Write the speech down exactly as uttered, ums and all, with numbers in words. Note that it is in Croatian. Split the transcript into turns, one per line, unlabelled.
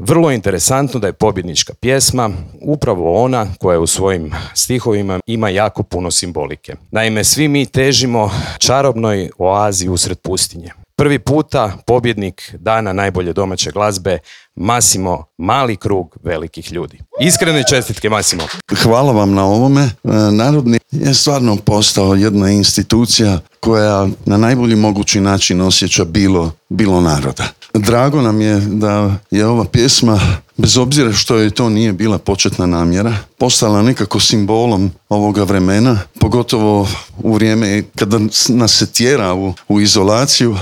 Vrlo interesantno da je pobjednička pjesma upravo ona koja u svojim stihovima ima jako puno simbolike. Naime, svi mi težimo čarobnoj oazi usred pustinje. Prvi puta pobjednik dana najbolje domaće glazbe Massimo, mali krug velikih ljudi. Iskrene čestitke, Massimo.
Hvala vam na ovome. Narodni je stvarno postao jedna institucija koja na najbolji mogući način osjeća bilo, bilo naroda. Drago nam je da je ova pjesma, bez obzira što je to nije bila početna namjera, postala nekako simbolom ovoga vremena, pogotovo u vrijeme kada nas se tjera u, u izolaciju,